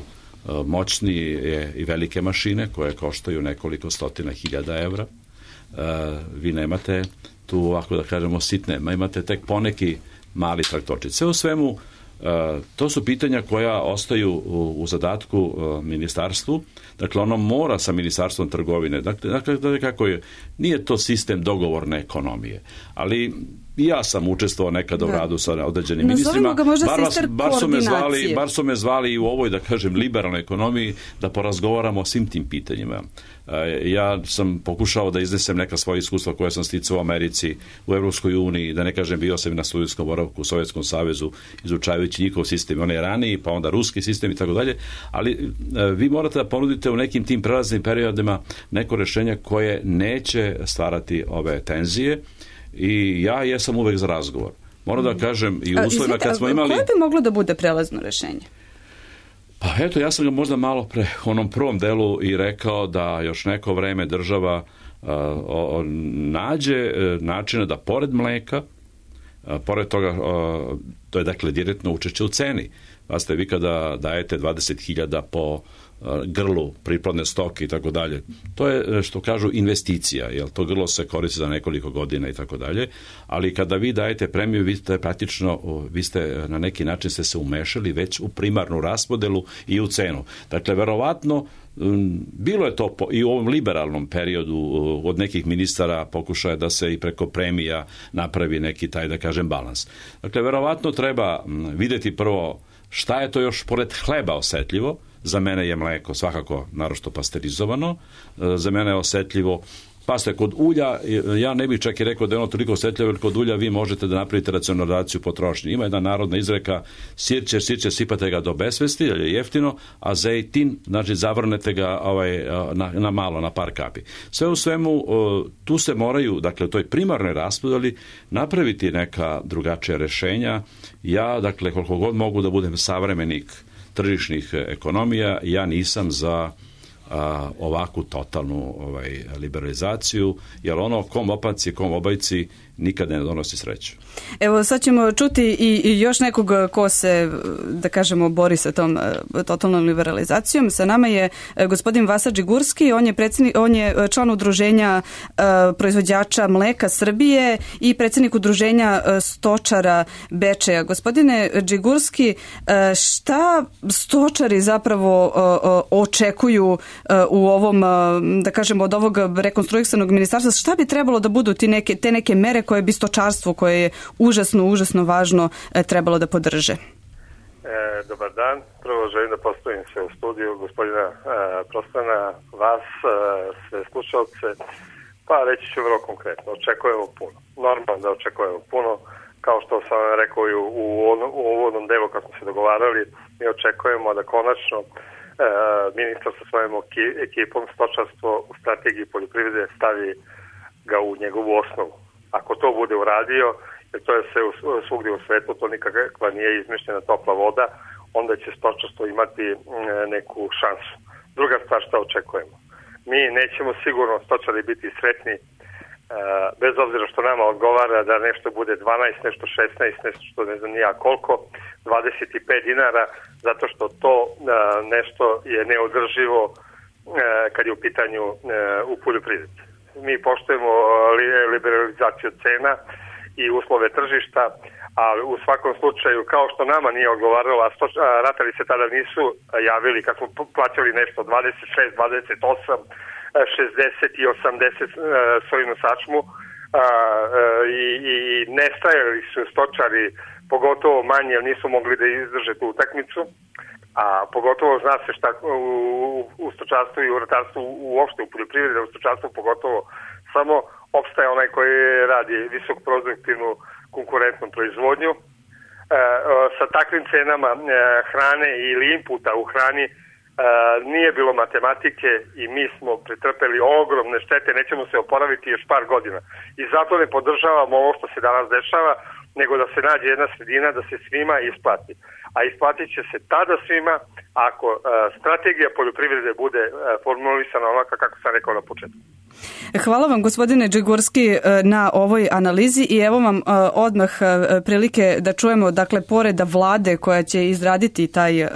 moćnije i velike mašine koje koštaju nekoliko stotina hiljada evra. Vi nemate tu, ako da kažemo, sitne, imate tek poneki mali traktorčić. Sve u svemu, to su pitanja koja ostaju u, u zadatku ministarstvu. Dakle, ono mora sa ministarstvom trgovine. Dakle, dakle kako je, nije to sistem dogovorne ekonomije, ali ja sam učestvovao nekada u radu sa određenim ministrima. Bar, vas, bar, su me zvali, bar su me zvali i u ovoj, da kažem, liberalnoj ekonomiji da porazgovaramo o svim tim pitanjima. Ja sam pokušao da iznesem neka svoja iskustva koja sam sticao u Americi, u Evropskoj uniji, da ne kažem, bio sam na studijskom boravku u Sovjetskom savezu, izučavajući njihov sistem, onaj raniji, pa onda ruski sistem i tako dalje, ali vi morate da ponudite u nekim tim prelaznim periodima neko rešenje koje neće stvarati ove tenzije. I ja jesam uvek za razgovor. Moram da kažem i u uslovima kad smo imali... Koje bi moglo da bude prelazno rešenje? Pa eto, ja sam ga možda malo pre u onom prvom delu i rekao da još neko vreme država uh, o, nađe uh, načina da pored mleka, uh, pored toga, uh, to je dakle direktno učešće u ceni. Pazite, vi kada dajete dvadeset hiljada po grlu priplodne stoke i tako dalje. To je, što kažu, investicija, jer to grlo se koristi za nekoliko godina i tako dalje, ali kada vi dajete premiju, vi ste praktično, vi ste na neki način ste se umešali već u primarnu raspodelu i u cenu. Dakle, verovatno, bilo je to i u ovom liberalnom periodu od nekih ministara pokušaja da se i preko premija napravi neki taj, da kažem, balans. Dakle, verovatno treba videti prvo šta je to još pored hleba osetljivo. Za mene je mleko svakako naročito pasterizovano, za mene je osetljivo, pa ste kod ulja, ja ne bih čak i rekao da je ono toliko osetljivo, jer kod ulja vi možete da napravite racionalizaciju potrošnje. Ima jedna narodna izreka, sirće, sirće, sipate ga do besvesti, jer je jeftino, a zejtin, znači zavrnete ga ovaj, na, na malo, na par kapi. Sve u svemu, tu se moraju, dakle, u toj primarnoj raspodeli napraviti neka drugačija rešenja. Ja, dakle, koliko god mogu da budem savremenik tržišnih ekonomija, ja nisam za a, ovakvu totalnu ovaj, liberalizaciju, jer ono kom opanci, kom obajci nikad ne donosi sreću. Evo, sad ćemo čuti i, i još nekog ko se, da kažemo, bori sa tom totalnom liberalizacijom. Sa nama je gospodin Vasa Đigurski, on je, predsjednik, on je član udruženja uh, proizvođača mleka Srbije i predsjednik udruženja uh, stočara Bečeja. Gospodine Đigurski, uh, šta stočari zapravo uh, uh, očekuju uh, u ovom, uh, da kažemo, od ovog rekonstruisanog ministarstva? Šta bi trebalo da budu ti neke, te neke mere koje bi stočarstvo, koje je užasno, užasno važno, trebalo da podrže? E, dobar dan. Prvo želim da postavim se u studiju gospodina e, Prostana, vas, e, sve slušalce. Pa reći ću vrlo konkretno. Očekujemo puno. Normalno da očekujemo puno. Kao što sam rekao i u, u uvodnom delu kako smo se dogovarali, mi očekujemo da konačno e, ministar sa svojom ekipom stočarstvo u strategiji poljoprivrede stavi ga u njegovu osnovu. Ako to bude uradio, jer to je sve svugdje u svetu, to nikakva nije izmišljena topla voda, onda će stočarstvo imati neku šansu. Druga stvar, šta očekujemo? Mi nećemo sigurno stočari biti sretni bez obzira što nama odgovara da nešto bude dvanaest, nešto šesnaest, nešto što ne znam nija koliko, dvadeset pet dinara, zato što to nešto je neodrživo kad je u pitanju u poljoprivredi. Mi poštujemo liberalizaciju cena i uslove tržišta, ali u svakom slučaju, kao što nama nije odgovaralo, a ratari se tada nisu javili kad smo plaćali nešto dvadeset šest, dvadeset osam, šezdeset i osamdeset sojinu sačmu i, i nestajali su stočari, pogotovo manje, jer nisu mogli da izdrže tu utakmicu, a pogotovo zna se šta u, u stočarstvu i u ratarstvu uopšte u poljoprivredi, u stočarstvu pogotovo samo opstaje onaj koji radi visokoproduktivnu konkurentnu proizvodnju. E, sa takvim cenama e, hrane ili inputa u hrani e, nije bilo matematike i mi smo pretrpeli ogromne štete, nećemo se oporaviti još par godina. I zato ne podržavamo ovo što se danas dešava, nego da se nađe jedna sredina da se svima isplati. A isplatit će se tada svima ako e, strategija poljoprivrede bude e, formulisana onaka kako sam rekao na početku. Hvala vam, gospodine Džigurski, na ovoj analizi i evo vam odmah prilike da čujemo, dakle, pored vlade koja će izraditi taj,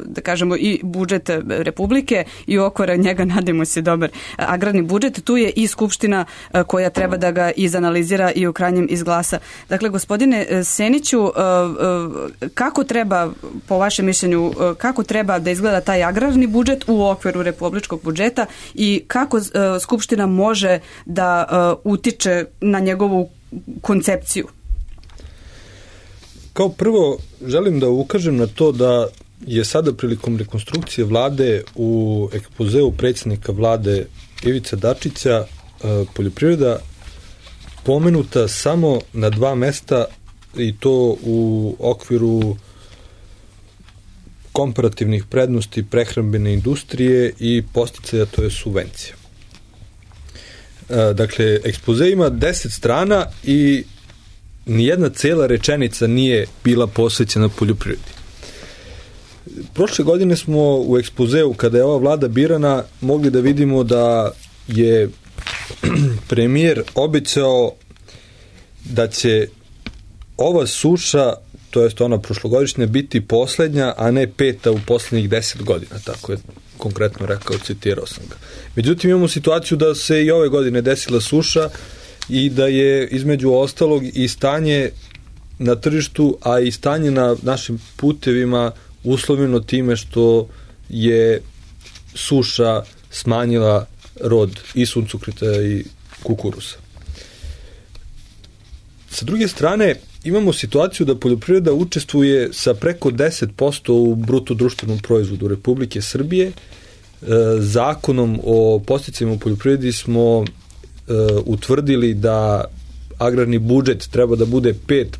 da kažemo, i budžet Republike i okvira njega, nadamo se, dobar agrarni budžet, tu je i Skupština koja treba da ga izanalizira i u krajnjem izglasa. Dakle, gospodine Seniću, kako treba, po vašem mišljenju, kako treba da izgleda taj agrarni budžet u okviru republičkog budžeta i kako Skupština može da uh, utiče na njegovu koncepciju? Kao prvo, želim da ukažem na to da je sada prilikom rekonstrukcije vlade u ekspozeu predsjednika vlade Ivice Dačića uh, poljoprivreda pomenuta samo na dva mesta i to u okviru komparativnih prednosti prehrambene industrije i podsticaja, to je subvencija. Dakle, ekspoze ima deset strana i nijedna cela rečenica nije bila posvećena poljoprivredi. Prošle godine smo u ekspozeu, kada je ova vlada birana, mogli da vidimo da je premijer obećao da će ova suša, to jest ona prošlogodišnja, biti poslednja, a ne peta u poslednjih deset godina, tako je konkretno rekao, citirao sam ga. Međutim, imamo situaciju da se i ove godine desila suša i da je između ostalog i stanje na tržištu, a i stanje na našim putevima uslovljeno time što je suša smanjila rod i suncokreta i kukuruza. Sa druge strane, imamo situaciju da poljoprivreda učestvuje sa preko deset posto u bruto društvenom proizvodu Republike Srbije. Zakonom o podsticajima u poljoprivredi smo utvrdili da agrarni budžet treba da bude pet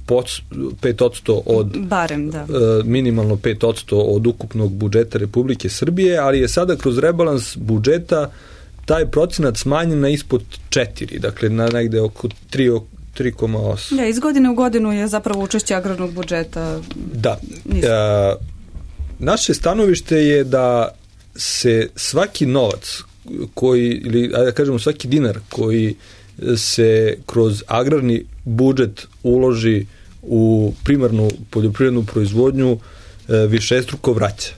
posto od barem, da. minimalno pet posto od ukupnog budžeta Republike Srbije, ali je sada kroz rebalans budžeta taj procenat smanjen na ispod četiri, dakle na negde oko tri tri zarez osam. Ja, iz godine u godinu je zapravo učešće agrarnog budžeta. Da. E, naše stanovište je da se svaki novac koji, ili da kažemo svaki dinar koji se kroz agrarni budžet uloži u primarnu poljoprivrednu proizvodnju višestruko vraća.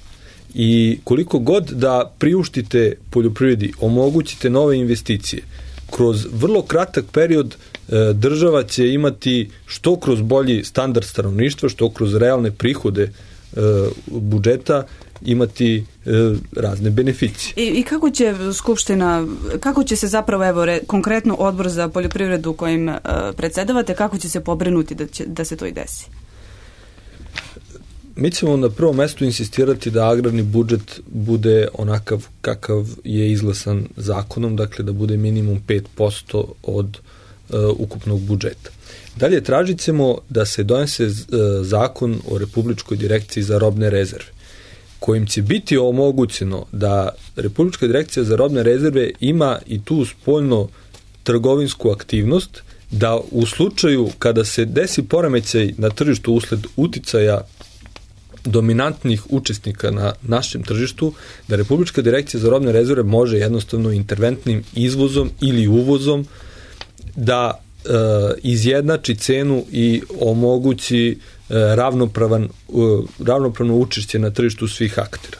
I koliko god da priuštite poljoprivredi, omogućite nove investicije, kroz vrlo kratak period država će imati što kroz bolji standard stanovništva, što kroz realne prihode budžeta imati razne beneficije. I, i kako će Skupština, kako će se zapravo, evo, re, konkretno Odbor za poljoprivredu kojim uh, predsedavate, kako će se pobrinuti da, će, da se to i desi? Mi ćemo na prvom mestu insistirati da agrarni budžet bude onakav kakav je izglasan zakonom, dakle da bude minimum pet posto od uh, ukupnog budžeta. Dalje tražit ćemo da se donese uh, zakon o Republičkoj direkciji za robne rezerve, kojim će biti omogućeno da Republička direkcija za robne rezerve ima i tu spoljno trgovinsku aktivnost, da u slučaju kada se desi poremećaj na tržištu usled uticaja dominantnih učesnika na našem tržištu, da Republička direkcija za robne rezerve može jednostavno interventnim izvozom ili uvozom da e, izjednači cenu i omogući e, ravnopravan, e, ravnopravno učešće na tržištu svih aktera.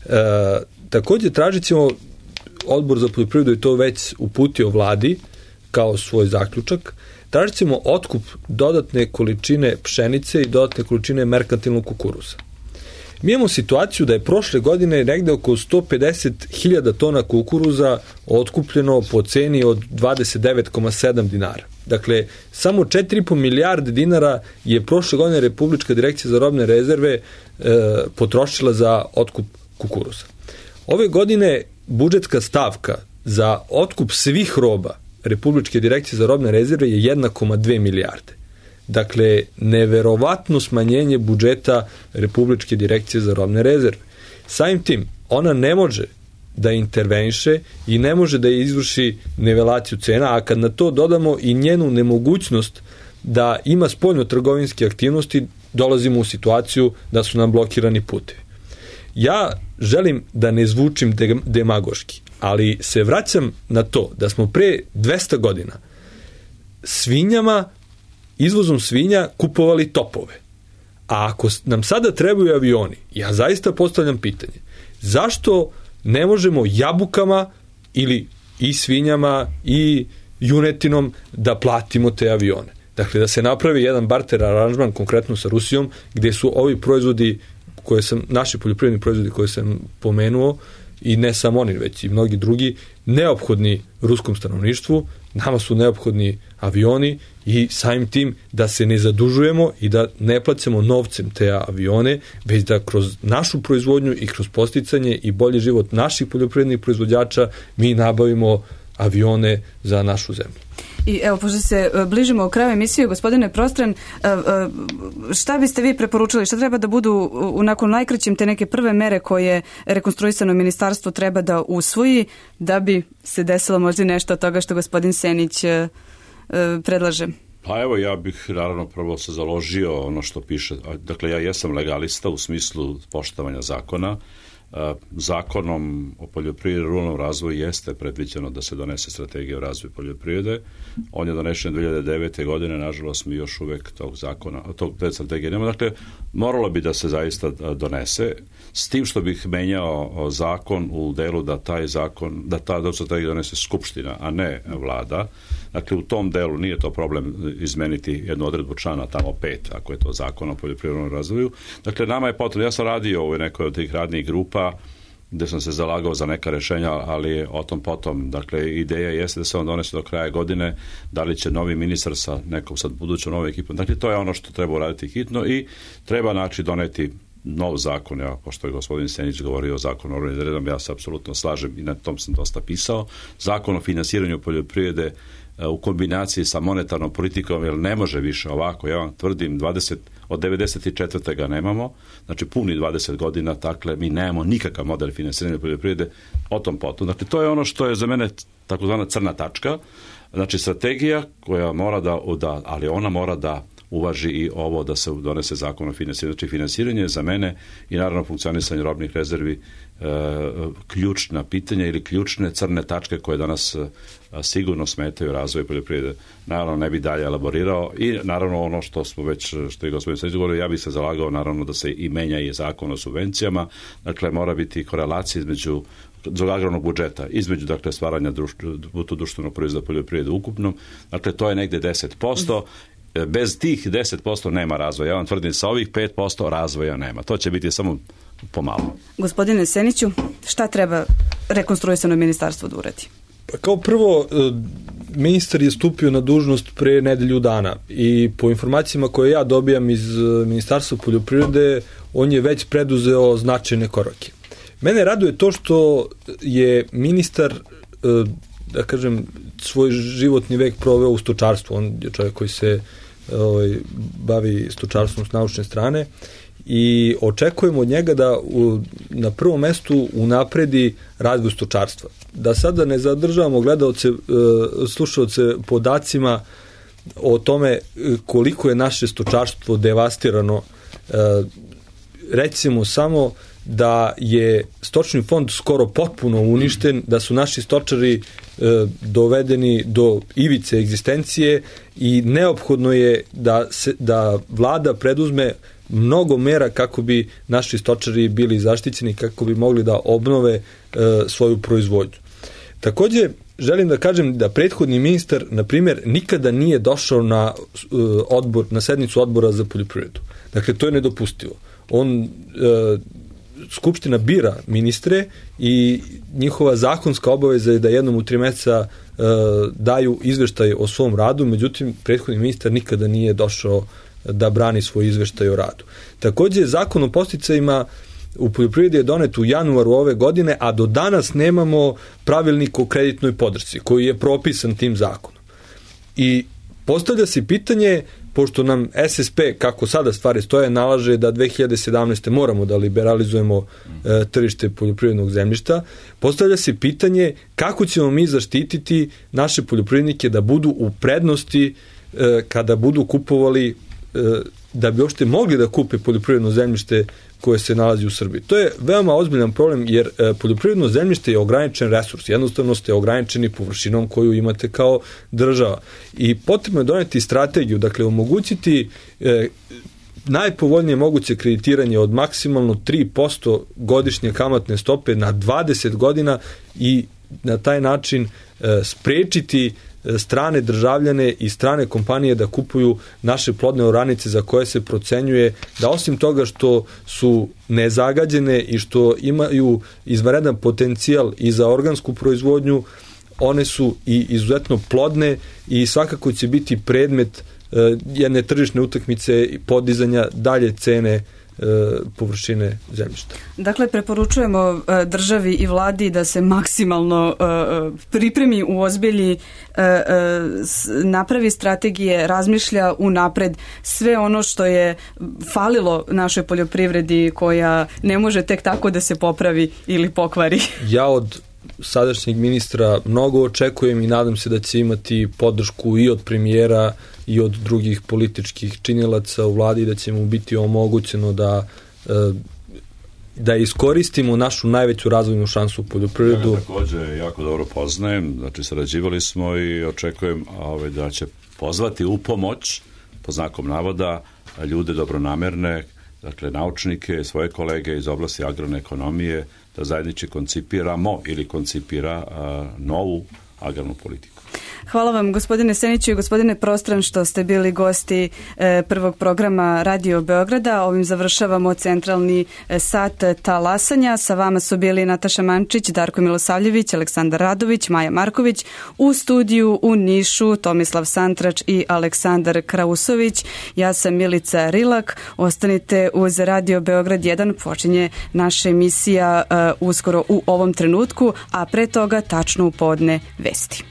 E, takođe tražit ćemo, Odbor za poljoprivredu je to već uputio vladi kao svoj zaključak, tražit ćemo otkup dodatne količine pšenice i dodatne količine merkantilnog kukuruza. Mi imamo situaciju da je prošle godine negde oko sto pedeset hiljada tona kukuruza otkupljeno po ceni od dvadeset devet zarez sedam dinara. Dakle, samo četiri i po milijarde dinara je prošle godine Republička direkcija za robne rezerve e, potrošila za otkup kukuruza. Ove godine budžetska stavka za otkup svih roba Republičke direkcije za robne rezerve je jedna zarez dve milijarde. Dakle, neverovatno smanjenje budžeta Republičke direkcije za robne rezerve. Samim tim, ona ne može da interveniše i ne može da izvrši nivelaciju cena, a kad na to dodamo i njenu nemogućnost da ima spoljno-trgovinske aktivnosti, dolazimo u situaciju da su nam blokirani putevi. Ja želim da ne zvučim demagoški, ali se vraćam na to da smo pre dvesta godina svinjama, izvozom svinja kupovali topove. A ako nam sada trebaju avioni, ja zaista postavljam pitanje, zašto ne možemo jabukama ili i svinjama i junetinom da platimo te avione? Dakle, da se napravi jedan barter aranžman konkretno sa Rusijom, gde su ovi proizvodi koje sam, naši poljoprivredni proizvodi koje sam pomenuo, i ne samo oni, već i mnogi drugi, neophodni ruskom stanovništvu, nama su neophodni avioni i samim tim da se ne zadužujemo i da ne plaćamo novcem te avione, već da kroz našu proizvodnju i kroz posticanje i bolji život naših poljoprivrednih proizvođača mi nabavimo avione za našu zemlju. I evo, pošto se bližimo u kraju emisije, gospodine Prostran, šta biste vi preporučili, šta treba da budu u nakon najkraćim te neke prve mere koje rekonstruisano ministarstvo treba da usvoji da bi se desilo možda nešto od toga što gospodin Senić predlaže? Pa evo, ja bih naravno prvo se založio ono što piše, dakle ja jesam legalista u smislu poštovanja zakona. Zakonom o poljoprivredi i ruralnom razvoju jeste predviđeno da se donese strategija o razvoju poljoprivrede. On je donešen dve hiljade devete. godine, nažalost mi još uvek tog zakona, tog te strategije nema. Dakle, moralo bi da se zaista donese, s tim što bih menjao zakon u delu da taj zakon, da ta strategija donese Skupština, a ne vlada. Dakle, u tom delu nije to problem izmeniti jednu odredbu člana tamo pet, ako je to zakon o poljoprivrednom razvoju. Dakle, nama je potrebno, ja sam radio u nekoj od tih radnih grupa gde sam se zalagao za neka rešenja, ali o tom potom. Dakle, ideja jeste da se on donese do kraja godine, da li će novi ministar sa nekom sad budućom novom ekipom. Dakle, to je ono što treba uraditi hitno i treba znači doneti nov zakon, ja, pošto je gospodin Senić govorio o zakonu o ruralnim rezervama, ja se apsolutno slažem i na tom sam dosta pisao. Zakon o finansiranju poljoprivrede u kombinaciji sa monetarnom politikom, jer ne može više ovako, ja vam tvrdim, dvadeset, od devedeset četvrte ga nemamo, znači puni dvadeset godina, dakle mi nemamo nikakav model finansiranja poljoprivrede, o tom potom. Dakle, to je ono što je za mene takozvana crna tačka, znači strategija koja mora da, da, ali ona mora da uvaži i ovo da se donese zakon o finansiranju. Znači, finansiranje je za mene i naravno funkcionisanje robnih rezervi e, ključna pitanja ili ključne crne tačke koje danas e, sigurno smetaju razvoju poljoprivrede. Naravno, ne bi dalje elaborirao i naravno ono što smo već, što je gospodin Senić govorio, ja bih se zalagao naravno da se i menja i zakon o subvencijama, dakle mora biti korelacija između agrarnog budžeta, između dakle stvaranja bruto društvenog proizvoda poljoprivrede ukupnom, dakle to je negde deset posto. Bez tih deset posto nema razvoja. Ja vam tvrdim, sa ovih pet posto razvoja nema. To će biti samo pomalo. Gospodine Seniću, šta treba rekonstruisano ministarstvo da uradi? Pa kao prvo, ministar je stupio na dužnost pre nedelju dana i po informacijama koje ja dobijam iz Ministarstva poljoprivrede, on je već preduzeo značajne korake. Mene raduje to što je ministar, da kažem, svoj životni vek proveo u stočarstvu. On je čovjek koji se ovaj, bavi stočarstvom s naučne strane i očekujemo od njega da u, na prvom mestu unapredi razvoj stočarstva. Da sada ne zadržavamo gledaoce, slušaoce podacima o tome koliko je naše stočarstvo devastirano. Recimo samo da je stočni fond skoro potpuno uništen, da su naši stočari e, dovedeni do ivice egzistencije i neophodno je da, se, da vlada preduzme mnogo mera kako bi naši stočari bili zaštićeni, kako bi mogli da obnove e, svoju proizvodnju. Takođe, želim da kažem da prethodni ministar, na primjer, nikada nije došao na e, odbor, na sednicu odbora za poljoprivredu. Dakle, to je nedopustivo. On, e, Skupština bira ministre i njihova zakonska obaveza je da jednom u tri meseca e, daju izveštaj o svom radu, međutim, prethodni ministar nikada nije došao da brani svoj izveštaj o radu. Takođe, zakon o podsticajima u poljoprivredi je donet u januaru ove godine, a do danas nemamo pravilnik o kreditnoj podršci koji je propisan tim zakonom. I postavlja se pitanje, pošto nam S S P, kako sada stvari stoje, nalaže da dve hiljade sedamnaeste. moramo da liberalizujemo e, tržište poljoprivrednog zemljišta, postavlja se pitanje kako ćemo mi zaštititi naše poljoprivrednike da budu u prednosti e, kada budu kupovali, e, da bi uopšte mogli da kupe poljoprivredno zemljište koje se nalazi u Srbiji. To je veoma ozbiljan problem, jer e, poljoprivredno zemljište je ograničen resurs. Jednostavno ste ograničeni površinom koju imate kao država. I potrebno je doneti strategiju, dakle omogućiti e, najpovoljnije moguće kreditiranje od maksimalno tri posto godišnje kamatne stope na dvadeset godina i na taj način e, sprečiti strane državljane i strane kompanije da kupuju naše plodne oranice za koje se procenjuje da osim toga što su nezagađene i što imaju izvanredan potencijal i za organsku proizvodnju, one su i izuzetno plodne i svakako će biti predmet jedne tržišne utakmice i podizanja dalje cene površine zemljišta. Dakle, preporučujemo državi i vladi da se maksimalno pripremi, uozbilji, napravi strategije, razmišlja unapred sve ono što je falilo našoj poljoprivredi koja ne može tek tako da se popravi ili pokvari. Ja od sadašnjeg ministra mnogo očekujem i nadam se da će imati podršku i od premijera i od drugih političkih činilaca u vladi, da će mu biti omogućeno da da iskoristimo našu najveću razvojnu šansu u poljoprivredu. Ja takođe jako dobro poznajem, znači sarađivali smo i očekujem ovaj, da će pozvati u pomoć, po znakom navoda, ljude dobronamerne, dakle naučnike, svoje kolege iz oblasti agrarne ekonomije, da zajednički koncipiramo ili koncipira a, novu agrarnu politiku. Hvala vam, gospodine Seniću i gospodine Prostran, što ste bili gosti e, prvog programa Radio Beograda. Ovim završavamo centralni e, sat talasanja. Sa vama su bili Nataša Mančić, Darko Milosavljević, Aleksandar Radović, Maja Marković. U studiju u Nišu Tomislav Santrač i Aleksandar Krausović. Ja sam Milica Rilak. Ostanite uz Radio Beograd jedan. Počinje naša emisija e, uskoro u ovom trenutku, a pre toga tačno u podne vesti.